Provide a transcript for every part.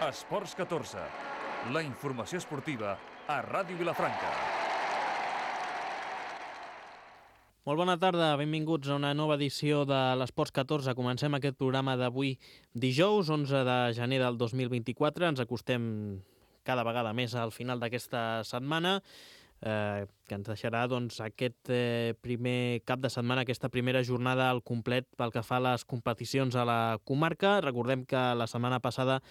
Esports 14, la informació esportiva a Ràdio Vilafranca. Molt bona tarda, benvinguts a una nova edició de l'Esports 14. Comencem aquest programa d'avui dijous, 11 de gener del 2024. Ens acostem cada vegada més al final d'aquesta setmana, que ens deixarà aquest primer cap de setmana, aquesta primera jornada al complet pel que fa a les competicions a la comarca. Recordem que la setmana passada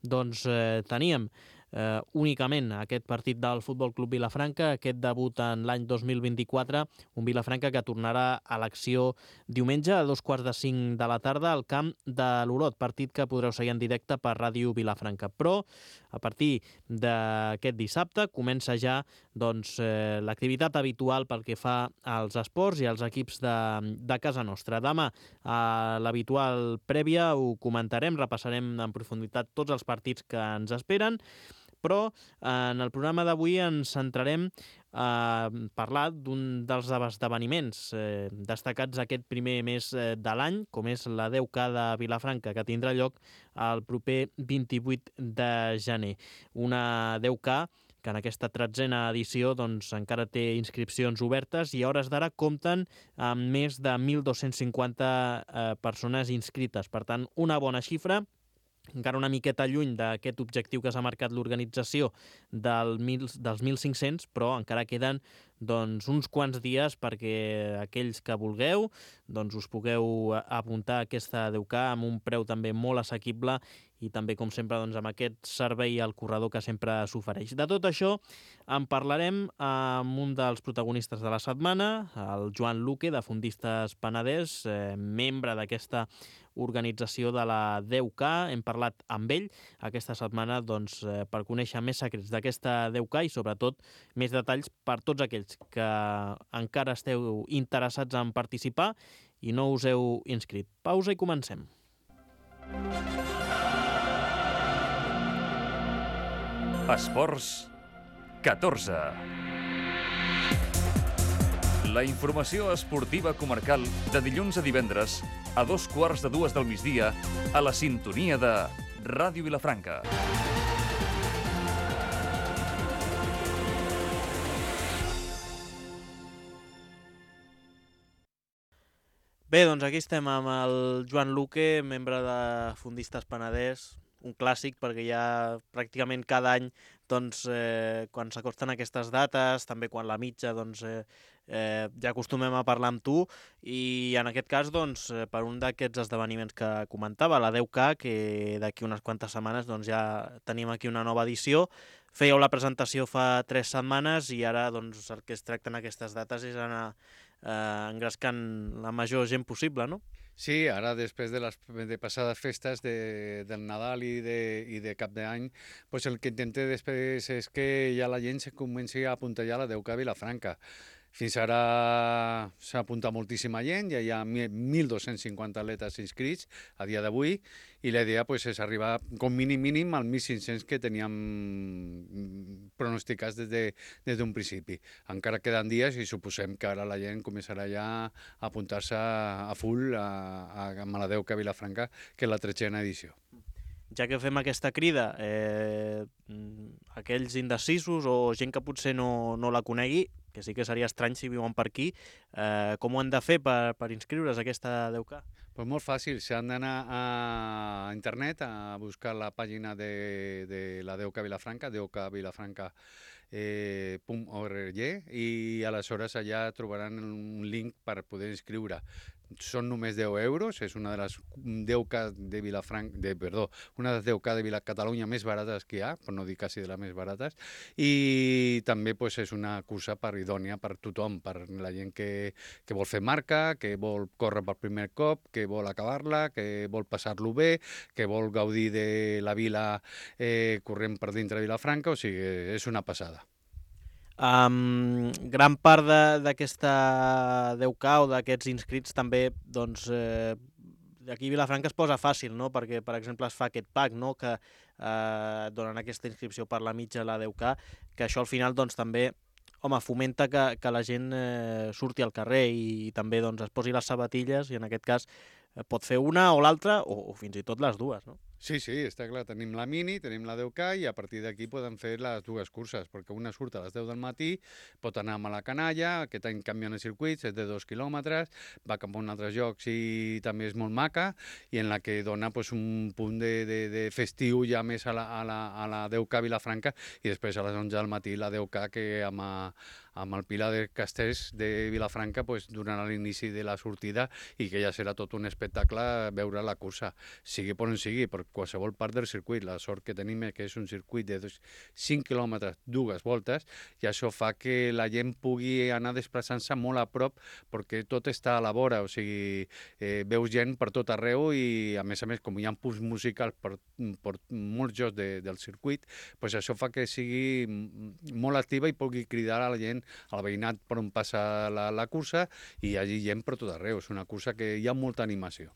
teníem únicament aquest partit del Futbol Club Vilafranca, aquest debut en l'any 2024, un Vilafranca que tornarà a l'acció diumenge a 2:45 de la tarda al camp de l'Olot, partit que podreu seguir en directe per Ràdio Vilafranca. Però a partir d'aquest dissabte comença ja l'activitat habitual pel que fa als esports i als equips de casa nostra. Demà, a l'habitual prèvia, ho comentarem, repassarem en profunditat tots els partits que ens esperen, però en el programa d'avui ens centrarem a parlar d'un dels esdeveniments destacats aquest primer mes de l'any, com és la 10K de Vilafranca, que tindrà lloc el proper 28 de gener. Una 10K que en aquesta 13a edició encara té inscripcions obertes i a hores d'ara compten amb més de 1.250 persones inscrites. Per tant, una bona xifra, encara una miqueta lluny d'aquest objectiu que s'ha marcat l'organització dels 1.500, però encara queden uns quants dies perquè aquells que vulgueu us pugueu apuntar a aquesta 10K amb un preu també molt assequible i també, com sempre, amb aquest servei al corredor que sempre s'ofereix. De tot això en parlarem amb un dels protagonistes de la setmana, el Joan Luque, de Fundistes Penedès, membre d'aquesta organització de la 10K. Hem parlat amb ell aquesta setmana per conèixer més secrets d'aquesta 10K i, sobretot, més detalls per tots aquells que encara esteu interessats en participar i no us heu inscrit. Pausa i comencem. Esports 14. La informació esportiva comarcal de dilluns a divendres a 2:15 del migdia a la sintonia de Ràdio Vilafranca. Bé, aquí estem amb el Joan Luque, membre de Fundistes Penedès, un clàssic perquè ja pràcticament cada any quan s'acosten aquestes dates, també quan la mitja ja acostumem a parlar amb tu, i en aquest cas per un d'aquests esdeveniments que comentava, la 10K, que d'aquí unes quantes setmanes ja tenim aquí una nova edició. Fèieu la presentació fa 3 setmanes i ara el que es tracta en aquestes dates és anar engrescant la major gent possible, no? Sí, ara després de passades festes del Nadal i de Cap d'Any, pues el que intentem després és que ja la gent se comenci a apuntar ja a la 10K a Vilafranca. Fins ara s'ha apuntat moltíssima gent, ja hi ha 1.250 atletes inscrits a dia d'avui i la idea és arribar com mínim als 1.500 que teníem pronosticats des d'un principi. Encara queden dies i suposem que ara la gent començarà ja a apuntar-se a full a la 10K a Vilafranca, que és la 13a edició. Ja que fem aquesta crida, aquells indecisos o gent que potser no la conegui, que sí que seria estrany si viuen per aquí, com ho han de fer per inscriure's a aquesta 10K? Pues molt fàcil, s'han d'anar a internet a buscar la pàgina de la 10K Vilafranca, 10kvilafranca.org, i aleshores allà trobaran un link per poder inscriure. Són només 10 euros, és una de les 10K de Catalunya més barates que hi ha, per no dir quasi de les més barates, i també és una cursa idònia per tothom, per la gent que vol fer marca, que vol córrer per primer cop, que vol acabar-la, que vol passar-lo bé, que vol gaudir de la vila corrent per dintre de Vilafranca, o sigui, és una passada. Gran part d'aquesta 10K o d'aquests inscrits també aquí a Vilafranca es posa fàcil, no? Perquè, per exemple, es fa aquest pack, no? Que donen aquesta inscripció per la mitja a la 10K, que això al final també fomenta que la gent surti al carrer i també es posi les sabatilles, i en aquest cas pot fer una o l'altra o fins i tot les dues, no? Sí, sí, està clar. Tenim la Mini, tenim la 10K i a partir d'aquí podem fer les dues curses, perquè una surt a les 10 del matí, pot anar a la Canalla, aquest any canvien els circuits, és de 2 quilòmetres, va cap a un altre lloc i també és molt maca, i en la que dona pues, un punt de festiu ja més a la 10K Vilafranca, i després a les 11 del matí la 10K que amb el Pilar de Castells de Vilafranca pues, donarà l'inici de la sortida i que ja serà tot un espectacle veure la cursa, sigui per on sigui, per qualsevol part del circuit. La sort que tenim és que és un circuit de 5 quilòmetres, dues voltes, i això fa que la gent pugui anar desplaçant-se molt a prop perquè tot està a la vora, o sigui, veus gent per tot arreu i a més, com hi ha punts musicals per molts jocs del circuit, pues això fa que sigui molt activa i pugui cridar a la gent, al veïnat per on passa la cursa, i hi hagi gent per tot arreu. És una cursa que hi ha molta animació.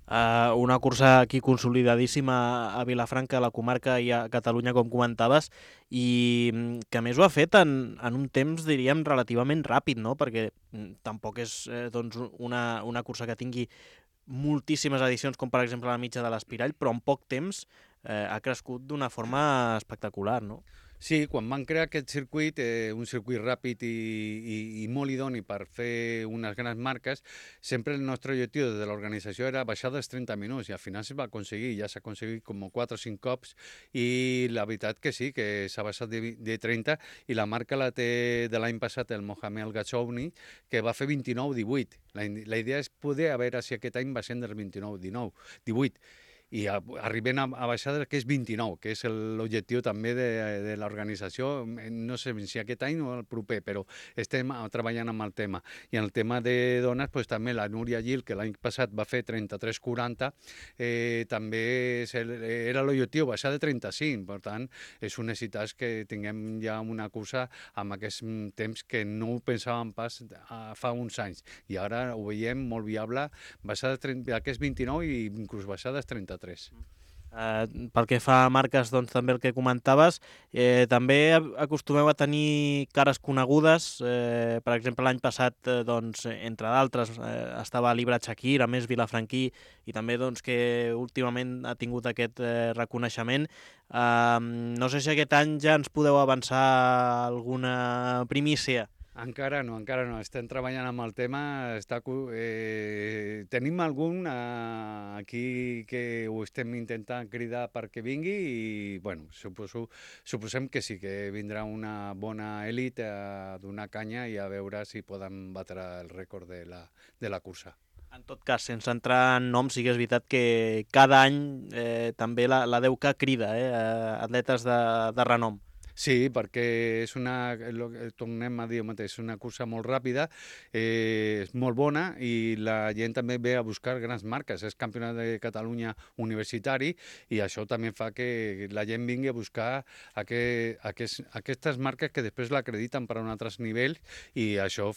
Una cursa aquí consolidadíssima a Vilafranca, a la comarca i a Catalunya, com comentaves, i que a més ho ha fet en un temps, diríem, relativament ràpid, no? Perquè tampoc és doncs, una cursa que tingui moltíssimes edicions, com per exemple la mitja de l'Espirall, però en poc temps ha crescut d'una forma espectacular, no? Sí, quan van crear aquest circuit, un circuit ràpid i molt idoni per fer unes grans marques, sempre el nostre objectiu de l'organització era baixar dels 30 minuts, i al final s'ha aconseguit, ja s'ha aconseguit com 4 o 5 cops, i la veritat que sí, que s'ha baixat de 30, i la marca la té de l'any passat el Mohamed El-Gachouni, que va fer 29-18. La idea és poder a veure si aquest any va ser del 29-18, i arribem a baixar del que és 29, que és l'objectiu també de l'organització, no sé si aquest any o el proper, però estem treballant amb el tema. I en el tema de dones, pues, també la Núria Gil, que l'any passat va fer 33-40, també era l'objectiu, baixar de 35, per tant, és un necessitat que tinguem ja una cursa amb aquest temps que no ho pensàvem pas fa uns anys, i ara ho veiem molt viable, baixar d'aquests 29 i inclús baixar dels 33. Pel que fa a marques, doncs, també el que comentaves, també acostumeu a tenir cares conegudes. Per exemple, l'any passat, doncs, entre d'altres, estava l'Ibra Chakir, a més vilafranquí, i també doncs, que últimament ha tingut aquest reconeixement. No sé si aquest any ja ens podeu avançar alguna primícia. Encara no. Estem treballant amb el tema. Tenim algun aquí que ho estem intentant cridar perquè vingui i, bueno, suposem que sí, que vindrà una bona elit a donar canya i a veure si poden batre el rècord de la cursa. En tot cas, sense entrar en noms, sí que és veritat que cada any també la 10K crida atletes de renom. Sí, perquè és tornem a dir el mateix, és una cursa molt ràpida, és molt bona, i la gent també ve a buscar grans marques. És campionat de Catalunya universitari, i això també fa que la gent vingui a buscar aquestes marques que després l'acrediten per a un altre nivell, i això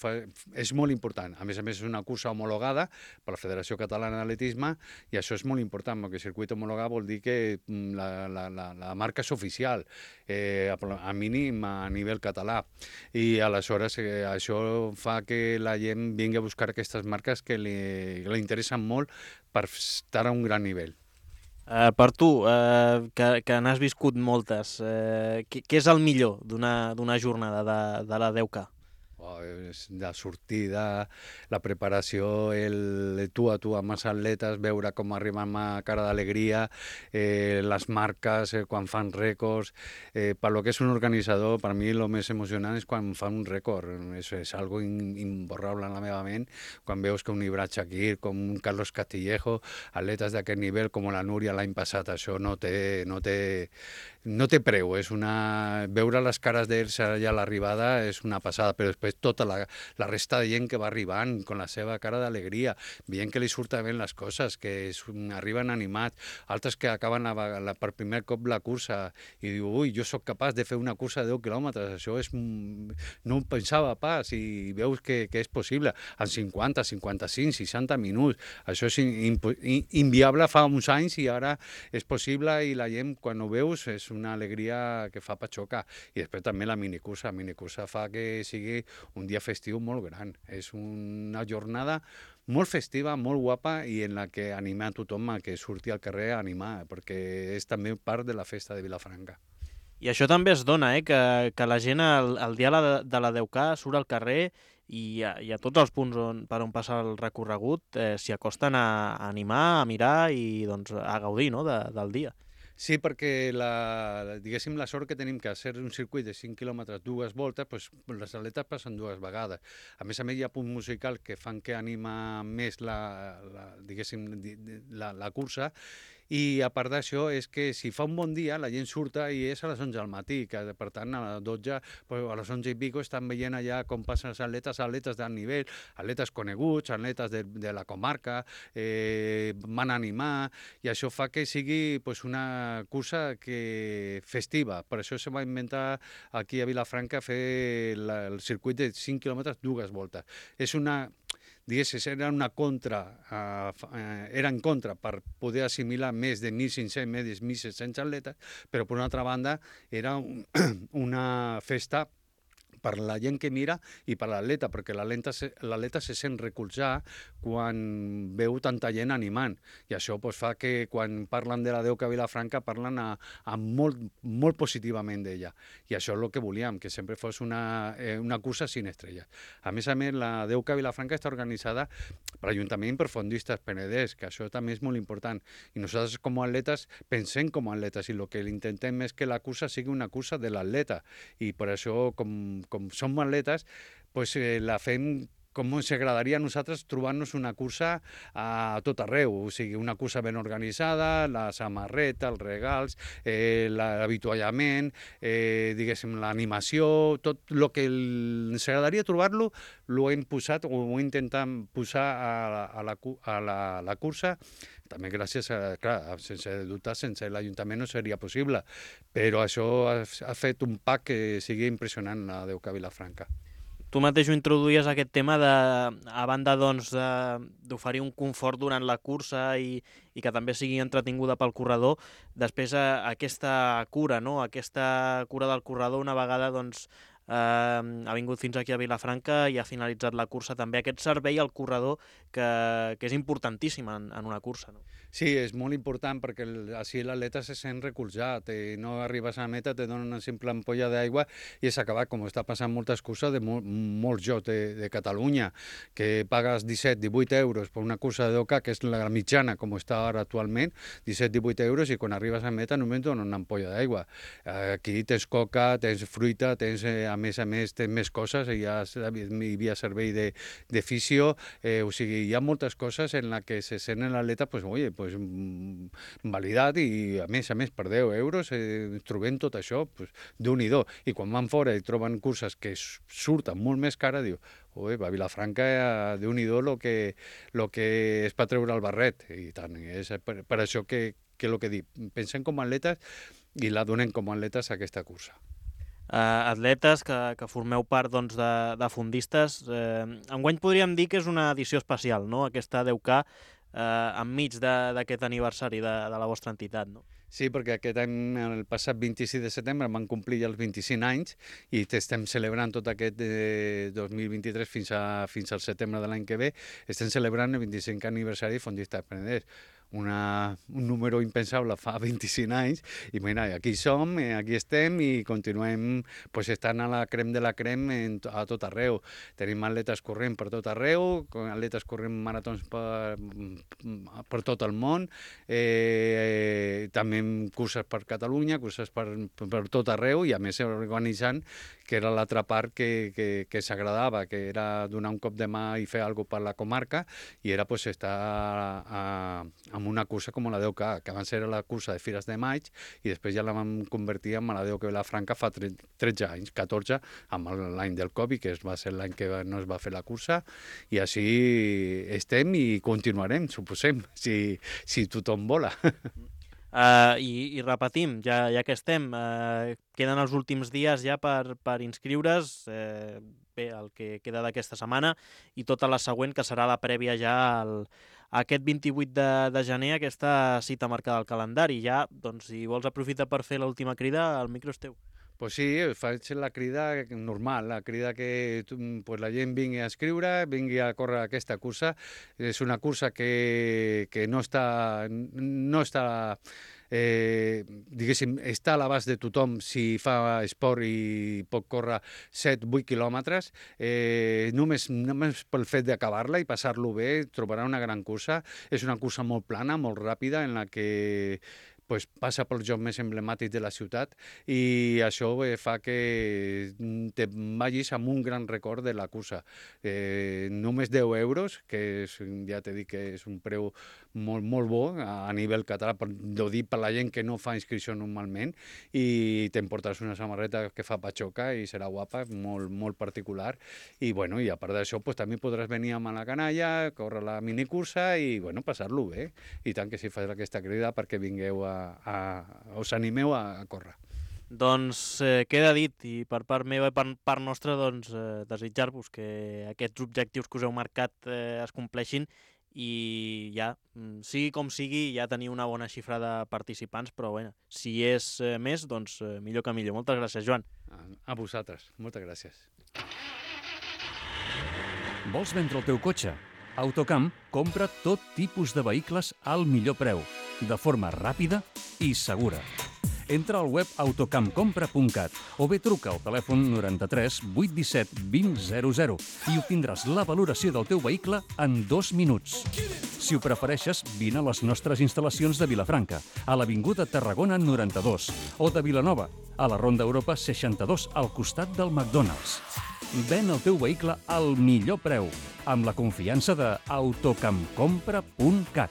és molt important. A més, és una cursa homologada per la Federació Catalana d'Atletisme, i això és molt important, perquè el circuit homologat vol dir que la marca és oficial, a mínim a nivell català, i aleshores això fa que la gent vingui a buscar aquestes marques que li interessen molt per estar a un gran nivell. Per tu, que n'has viscut moltes, què és el millor d'una jornada de la 10K? La sortida, la preparació, el tu a tu amb els atletes, veure com arriben amb cara d'alegria, les marques, quan fan rècords. Per lo que és un organitzador, per mi el més emocionant és quan fan un rècord. És algo imborrable en la meva ment, quan veus que un Ibra Chakir, com un Carlos Castillejo, atletes d'aquest nivell, com la Núria l'any passat, això no té preu. Veure les cares d'ells allà a l'arribada és una passada, però després tota la resta de gent que va arribant con la seva cara d'alegria, veient que li surten bé les coses, que arriben animats, altres que acaben per primer cop la cursa i diu, ui, jo sóc capaç de fer una cursa de 10 quilòmetres, això no ho pensava pas, i veus que és possible, en 50, 55, 60 minuts. Això és inviable fa uns anys i ara és possible, i la gent, quan ho veus, és una alegria que fa patxoca. I després també la minicursa. La minicursa fa que sigui un dia festiu molt gran. És una jornada molt festiva, molt guapa i en la que anima a tothom a que surti al carrer a animar, perquè és també part de la festa de Vilafranca. I això també es dona, que la gent el dia de la 10K surt al carrer i a tots els punts per on passa el recorregut s'hi acosten a animar, a mirar i doncs, a gaudir, no?, del dia. Sí, perquè diguéssim, la sort que tenim que ser un circuit de 5 quilòmetres, dues voltes, doncs les atletes passen dues vegades. A més, hi ha punts musicals que fan que anima més diguéssim, la cursa, i a part d'això és que si fa un bon dia la gent surta i és a les 11 del matí, que per tant a les 12, a les 11 i pico estan veient allà com passen els atletes d'alt nivell, atletes coneguts, atletes de la comarca, van a animar, i això fa que sigui una cursa festiva. Per això se va inventar aquí a Vilafranca fer el circuit de 5 quilòmetres dues voltes. És era en contra per poder assimilar més de 1.500, més de 1.700 atletes, però per una altra banda era una festa per la gent que mira i per l'atleta, perquè l'atleta se sent recolzar quan veu tanta gent animant. I això fa que quan parlen de la 10K Vilafranca parlen molt positivament d'ella. I això és el que volíem, que sempre fos una cursa sin estrelles. A més, la 10K Vilafranca està organitzada per l'Ajuntament i per Fondistes Penedès, que això també és molt important. I nosaltres com a atletes pensem com a atletes i el que intentem és que la cursa sigui una cursa de l'atleta. I per això, com som atletes, la fem com ens agradaria a nosaltres trobar-nos una cursa a tot arreu, o sigui, una cursa ben organitzada, la samarreta, els regals, l'avituallament, diguéssim, l'animació, tot el que ens agradaria trobar-lo, ho hem posat, o ho intentem posar a la cursa. També gràcies clar, sense dubte, sense l'Ajuntament no seria possible, però això ha fet un pack que sigui impressionant la 10K Vilafranca. Tu mateix ho introduïes aquest tema a banda d'oferir un confort durant la cursa i que també sigui entretinguda pel corredor, després aquesta cura, no? Aquesta cura del corredor una vegada ha vingut fins aquí a Vilafranca i ha finalitzat la cursa també. Aquest servei al corredor que és importantíssim en una cursa, no? Sí, és molt important perquè així l'atleta se sent recolzat, no arribes a la meta, te donen una simple ampolla d'aigua i és acabat, com està passant moltes curses de molts jocs de Catalunya, que pagues 17-18 euros per una cursa de 10K, que és la mitjana, com està ara actualment, 17-18 euros, i quan arribes a la meta només donen una ampolla d'aigua. Aquí tens coca, tens fruita, a més, tens més coses, hi havia servei de fisio, o sigui, hi ha moltes coses en les que se sent l'atleta, validat, i a més per 10 euros trobem tot això, Déu-n'hi-do. I quan van fora i troben curses que surten molt més cares, diu, a Vilafranca, Déu-n'hi-do el que es pot treure el barret. I tant, és per això que el que dic, pensem com a atletes i la donem com a atletes a aquesta cursa. Atletes que formeu part de Fondistes, enguany podríem dir que és una edició especial, no?, aquesta 10K, enmig d'aquest aniversari de la vostra entitat, no? Sí, perquè aquest any, el passat 26 de setembre, van complir ja els 25 anys i estem celebrant tot aquest 2023 fins al setembre de l'any que ve, estem celebrant el 25è aniversari de Fondistes Penedès. Un número impensable fa 25 anys, i mira, aquí som, aquí estem i continuem estant a la crem de la crem a tot arreu. Tenim atletes corrent per tot arreu, atletes corrent maratons per tot el món, també curses per Catalunya, curses per tot arreu, i a més organitzant, que era l'altra part que s'agradava, que era donar un cop de mà i fer alguna cosa per la comarca, i era estar amb una cursa com la 10K, que abans era la cursa de Fires de Maig, i després ja la vam convertir en la 10K Vilafranca fa 13 anys, 14, amb l'any del Covid, que va ser l'any que no es va fer la cursa, i així estem i continuarem, suposem, si tothom vola. I repetim, ja que estem, queden els últims dies ja per inscriure's, el que queda d'aquesta setmana i tota la següent, que serà la prèvia ja aquest 28 de gener, aquesta cita marcada al calendari. Ja, doncs, si vols aprofitar per fer l'última crida, el micro és teu. Pues sí, faig la crida normal, la crida que pues la gent vingui a escriure, vingui a córrer aquesta cursa. És una cursa que no està diguéssim, està a l'abast de tothom si fa esport i pot córrer 7-8 quilòmetres. Només pel fet d'acabar-la i passar-lo bé, trobarà una gran cursa. És una cursa molt plana, molt ràpida, en la que pues, passa pels jocs més emblemàtics de la ciutat i això fa que te vagis amb un gran record de la cursa. Només 10 euros, que és, ja t'he dit que és un preu molt, molt bo a nivell català, ho dic per la gent que no fa inscripció normalment, i t'emportaràs una samarreta que fa patxoca i serà guapa, molt, molt particular. I, bueno, i a part d'això, pues, també podràs venir amb la canalla, córrer la minicursa i, bueno, passar-lo bé. I tant que sí, fas aquesta crida perquè vingueu us animeu a córrer. Doncs queda dit, i per part meva i per part nostra, doncs, desitjar-vos que aquests objectius que us heu marcat es compleixin i ja, sigui com sigui, ja teniu una bona xifra de participants, però bueno, si és més, doncs millor que millor. Moltes gràcies, Joan. A vosaltres, moltes gràcies. Vols vendre el teu cotxe? Autocamp compra tot tipus de vehicles al millor preu, de forma ràpida i segura. Entra al web autocampcompra.cat o bé truca al telèfon 93 817 2000 i obtindràs la valoració del teu vehicle en 2 minuts. Si ho prefereixes, vine a les nostres instal·lacions de Vilafranca, a l'Avinguda Tarragona 92, o de Vilanova, a la Ronda Europa 62, al costat del McDonald's. Ven el teu vehicle al millor preu, amb la confiança de autocampcompra.cat.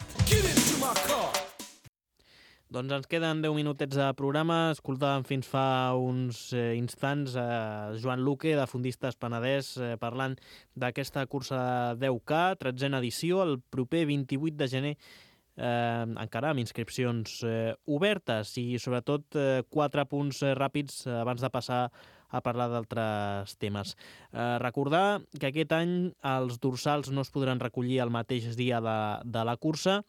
Doncs ens queden 10 minutets de programa. Escoltàvem fins fa uns instants a Joan Luque, de Fundistes Penedès, parlant d'aquesta cursa 10K, 13a edició, el proper 28 de gener, encara amb inscripcions obertes i sobretot 4 punts ràpids abans de passar a parlar d'altres temes. Recordar que aquest any els dorsals no es podran recollir el mateix dia de la cursa,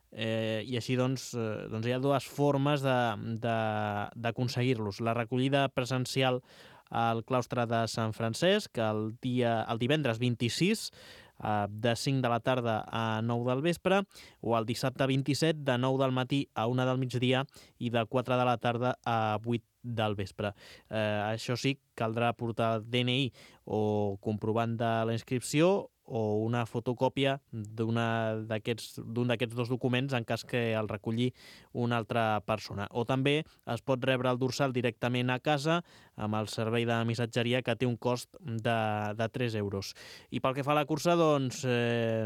i així doncs hi ha dues formes d'aconseguir-los. La recollida presencial al claustre de Sant Francesc el divendres 26 de 5 de la tarda a 9 del vespre, o el dissabte 27 de 9 del matí a 1 del migdia i de 4 de la tarda a 8 del vespre. Això sí, caldrà portar el DNI o comprovant de la inscripció o una fotocòpia d'un d'aquests dos documents en cas que el reculli una altra persona. O també es pot rebre el dorsal directament a casa amb el servei de missatgeria, que té un cost de 3 euros. I pel que fa a la cursa, doncs,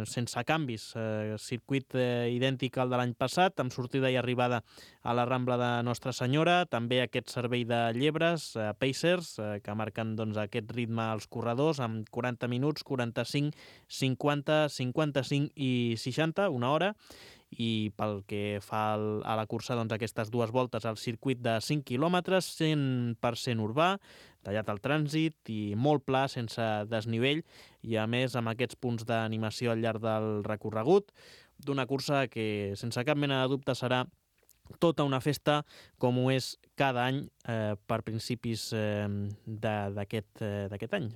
sense canvis, circuit idèntic al de l'any passat, amb sortida i arribada a la Rambla de Nostra Senyora, també aquest servei de llebres, Pacers, que marquen doncs, aquest ritme als corredors, amb 40 minuts, 45, 50, 55 i 60, una hora, i pel que fa a la cursa, doncs, aquestes dues voltes al circuit de 5 quilòmetres, 100% urbà, tallat al trànsit i molt pla, sense desnivell, i a més amb aquests punts d'animació al llarg del recorregut, d'una cursa que sense cap mena de dubte serà tota una festa, com ho és cada any per principis d'aquest any,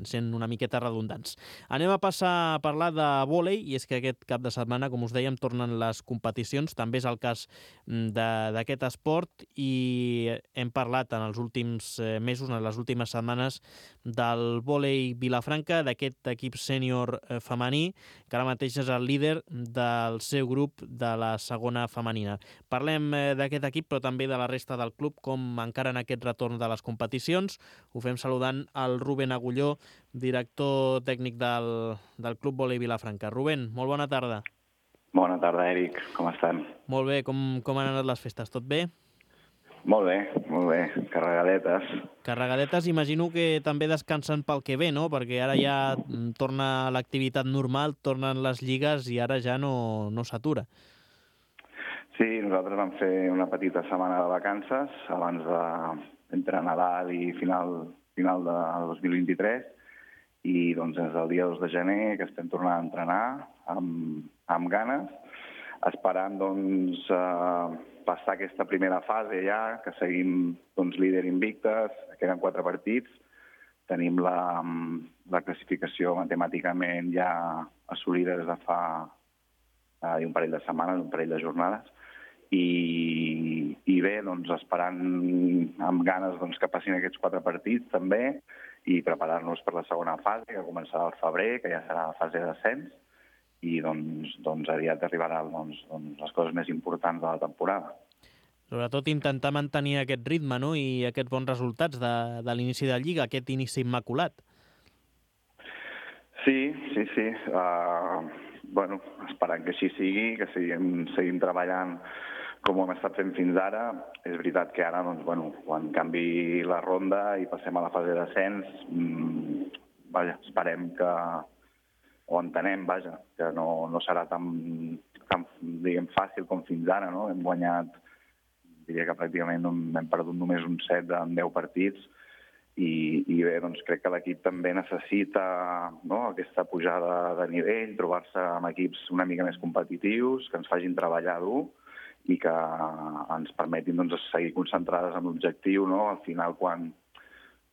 sent una miqueta redundants. Anem a passar a parlar de vòlei, i és que aquest cap de setmana, com us dèiem, tornen les competicions. També és el cas d'aquest esport, i hem parlat en els últims mesos, en les últimes setmanes, del vòlei Vilafranca, d'aquest equip sènior femení, que ara mateix és el líder del seu grup de la segona femenina. Parlem d'aquest equip, però també de la resta del club, com encara en aquest retorn de les competicions. Ho fem saludant el Rubén Agulló, director tècnic del Club Vòlei Vilafranca. Rubén, molt bona tarda. Bona tarda, Eric. Com estan? Molt bé. Com han anat les festes? Tot bé? Molt bé, molt bé. Carregadetes. Carregadetes, imagino que també descansen pel que ve, no? Perquè ara ja torna l'activitat normal, tornen les lligues i ara ja no s'atura. Sí, nosaltres vam fer una petita setmana de vacances abans entre Nadal i final de 2023, i doncs des del dia 2 de gener que estem tornant a entrenar amb amb ganes, esperant doncs, passar aquesta primera fase ja, que seguim doncs, líder invictes, queden 4 partits, tenim la classificació matemàticament ja assolida des de fa un parell de setmanes, un parell de jornades, i bé, doncs, esperant amb ganes doncs, que passin aquests 4 partits també i preparar-nos per la segona fase, que començarà al febrer, que ja serà la fase de descens, i doncs aviat arribaran les coses més importants de la temporada. Sobretot intentar mantenir aquest ritme, no?, i aquests bons resultats de l'inici de Lliga, aquest inici immaculat. Sí. Bueno, esperant que així sigui, que seguim treballant com ho hem estat fent fins ara. És veritat que ara, doncs, bueno, quan canvi la ronda i passem a la fase de descens, esperem que, o entenem, que no serà tan diguem, fàcil com fins ara, no? Hem guanyat, diria que pràcticament hem perdut només un 7 en 10 partits, i bé, doncs crec que l'equip també necessita, no, aquesta pujada de nivell, trobar-se amb equips una mica més competitius, que ens facin treballar dur i que ens permetin doncs, seguir concentrades en l'objectiu, no? Al final, quan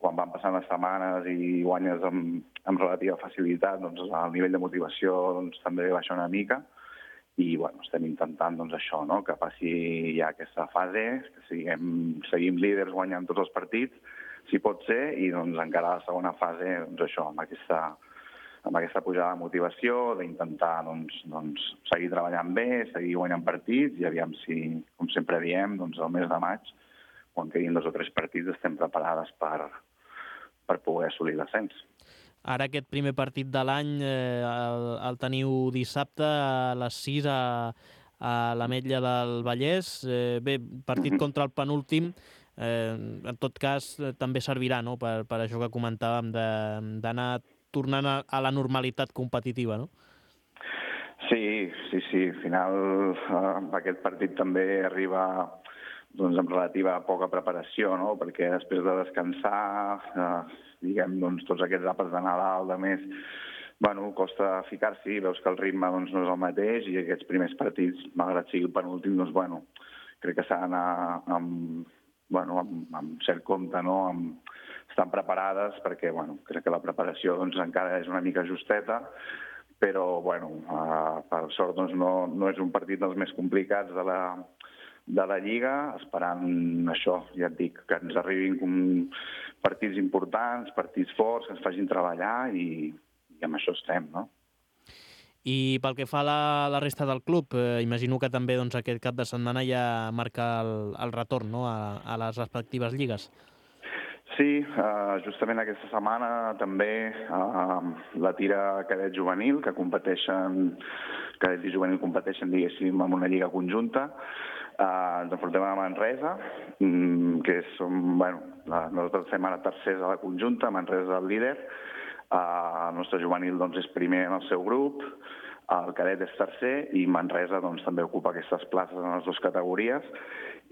van passant les setmanes i guanyes amb relativa facilitat, doncs el nivell de motivació doncs, també baixa una mica, i bueno, estem intentant doncs, això, no? Que passi ja aquesta fase, que seguim líders guanyant tots els partits, si pot ser, i doncs encara la segona fase, doncs això, amb aquesta pujada de motivació, d'intentar doncs, seguir treballant bé, seguir guanyant partits, i aviam si, com sempre diem, doncs el mes de maig, quan quedin 2 o 3 partits, estem preparades per poder assolir l'ascens. Ara aquest primer partit de l'any el teniu dissabte a les 6 a l'Ametlla del Vallès. Bé, partit contra el penúltim, en tot cas també servirà, no?, per això que comentàvem d'anar tornant a la normalitat competitiva, no? Sí. Al final aquest partit també arriba doncs, amb relativa poca preparació, no? Perquè després de descansar, diguem, doncs, tots aquests àpats de Nadal, de més, bueno, costa ficar-s'hi, veus que el ritme doncs, no és el mateix, i aquests primers partits, malgrat sigui el penúltim, doncs, bueno, crec que s'ha d'anar amb cert compte, no? Estan preparades perquè, bueno, crec que la preparació doncs, encara és una mica justeta, però, bueno, per sort doncs, no és un partit dels més complicats de la Lliga, esperant això, ja et dic, que ens arribin partits importants, partits forts, que ens facin treballar, i amb això estem, no? I pel que fa a la resta del club, imagino que també doncs, aquest cap de setmana ja marca el retorn, no?, a les respectives lligues. Sí, justament aquesta setmana també la tira cadet juvenil, que cadet i juvenil competeixen, diguéssim, en una lliga conjunta. Ens enfrontem a Manresa, que nosaltres fem ara tercers a la conjunta, Manresa és el líder. El nostre juvenil doncs, és primer en el seu grup, el cadet és tercer, i Manresa doncs, també ocupa aquestes places en les 2 categories,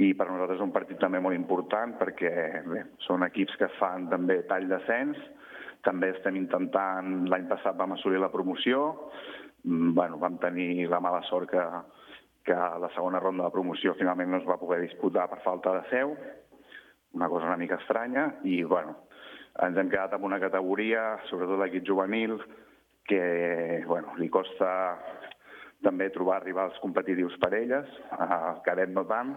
i per nosaltres és un partit també molt important perquè bé, són equips que fan també tall d'ascens. També estem intentant, l'any passat vam assolir la promoció, vam tenir la mala sort que la segona ronda de promoció finalment no es va poder disputar per falta de seu, una cosa una mica estranya, i ens hem quedat amb una categoria, sobretot l'equip juvenil, que li costa també trobar rivals competitius per elles, el cadet no tant,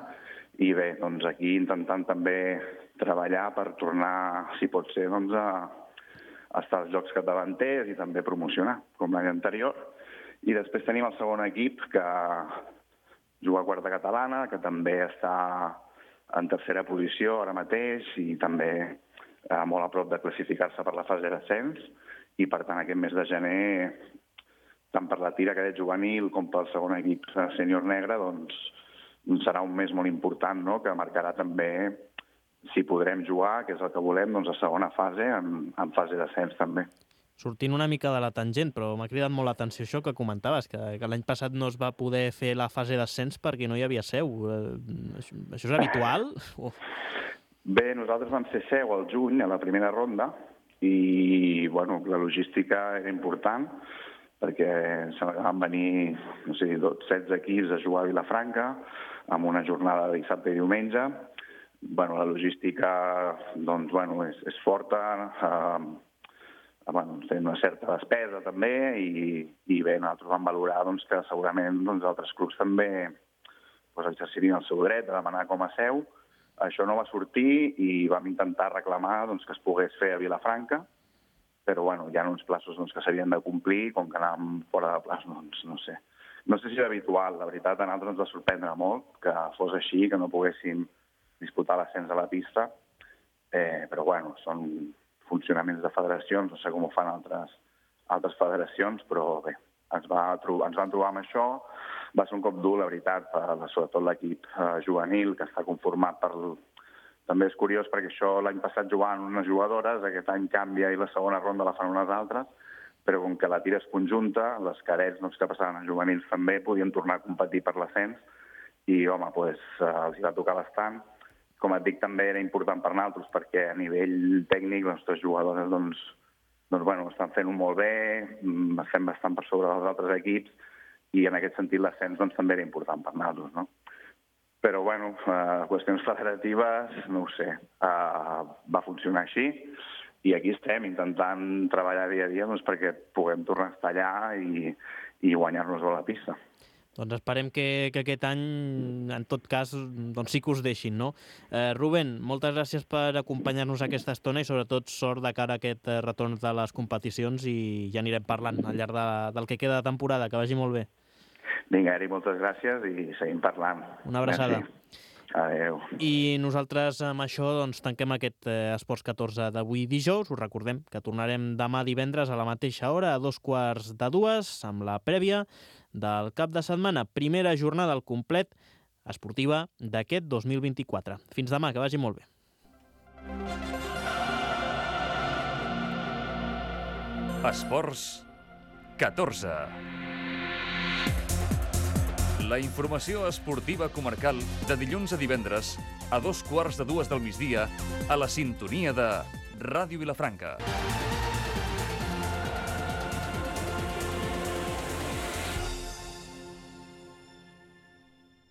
i bé, doncs aquí intentant també treballar per tornar, si pot ser, doncs a estar als jocs capdavanters i també promocionar, com l'any anterior. I després tenim el segon equip, que juga a quarta catalana, que també està en tercera posició ara mateix i també molt a prop de classificar-se per la fase d'ascens, i per tant aquest mes de gener, tant per la tira cadet juvenil com pel segon equip sènior negre, doncs serà un mes molt important, no?, que marcarà també si podrem jugar, que és el que volem, doncs a segona fase, en fase d'ascens també. Sortint una mica de la tangent, però m'ha cridat molt l'atenció això que comentaves, que l'any passat no es va poder fer la fase d'ascens perquè no hi havia seu. Això és habitual? Bé, nosaltres vam ser seu al juny, a la primera ronda, i la logística era important. perquè van venir, no sé, 16 equips a jugar a Vilafranca, amb una jornada de dissabte i diumenge. La logística doncs, és forta, té una certa despesa també, i bé, nosaltres vam valorar que segurament altres clubs també exercirien el seu dret a demanar com a seu. Això no va sortir i vam intentar reclamar que es pogués fer a Vilafranca, però hi ha uns plaços que s'havien de complir, com que anàvem fora de plaç, no sé. No sé si és habitual, la veritat, a nosaltres ens va sorprendre molt que fos així, que no poguéssim disputar l'ascens a la pista, però són funcionaments de federacions, no sé com ho fan altres federacions, però bé, ens van trobar amb això. Va ser un cop dur, la veritat, sobretot l'equip juvenil, que està conformat per... També és curiós perquè això l'any passat jugaven unes jugadores, aquest any canvia i la segona ronda la fan unes altres, però com que la tira és conjunta, les cadets que passaven a juvenils també podien tornar a competir per l'ascens i, els va tocar bastant. Com et dic, també era important per nosaltres perquè a nivell tècnic les nostres jugadores estan fent-ho molt bé, estem bastant per sobre dels altres equips i en aquest sentit l'ascens també era important per nosaltres, no? Però, qüestions federatives, no ho sé, va funcionar així i aquí estem intentant treballar dia a dia perquè puguem tornar a estar allà i guanyar-nos a la pista. Doncs esperem que aquest any, en tot cas, sí que us deixin, no? Rubén, moltes gràcies per acompanyar-nos aquesta estona i sobretot sort de cara a aquest retorn de les competicions i ja anirem parlant al llarg del que queda de temporada. Que vagi molt bé. Vinga, Eri, moltes gràcies i seguim parlant. Una abraçada. Merci. Adéu. I nosaltres amb això tanquem aquest Esports 14 d'avui dijous. Us recordem que tornarem demà divendres a la mateixa hora, a 2:45, amb la prèvia del cap de setmana. Primera jornada al complet esportiva d'aquest 2024. Fins demà, que vagi molt bé. Esports 14. La informació esportiva comarcal de dilluns a divendres a 2:15 del migdia a la sintonia de Ràdio Vilafranca.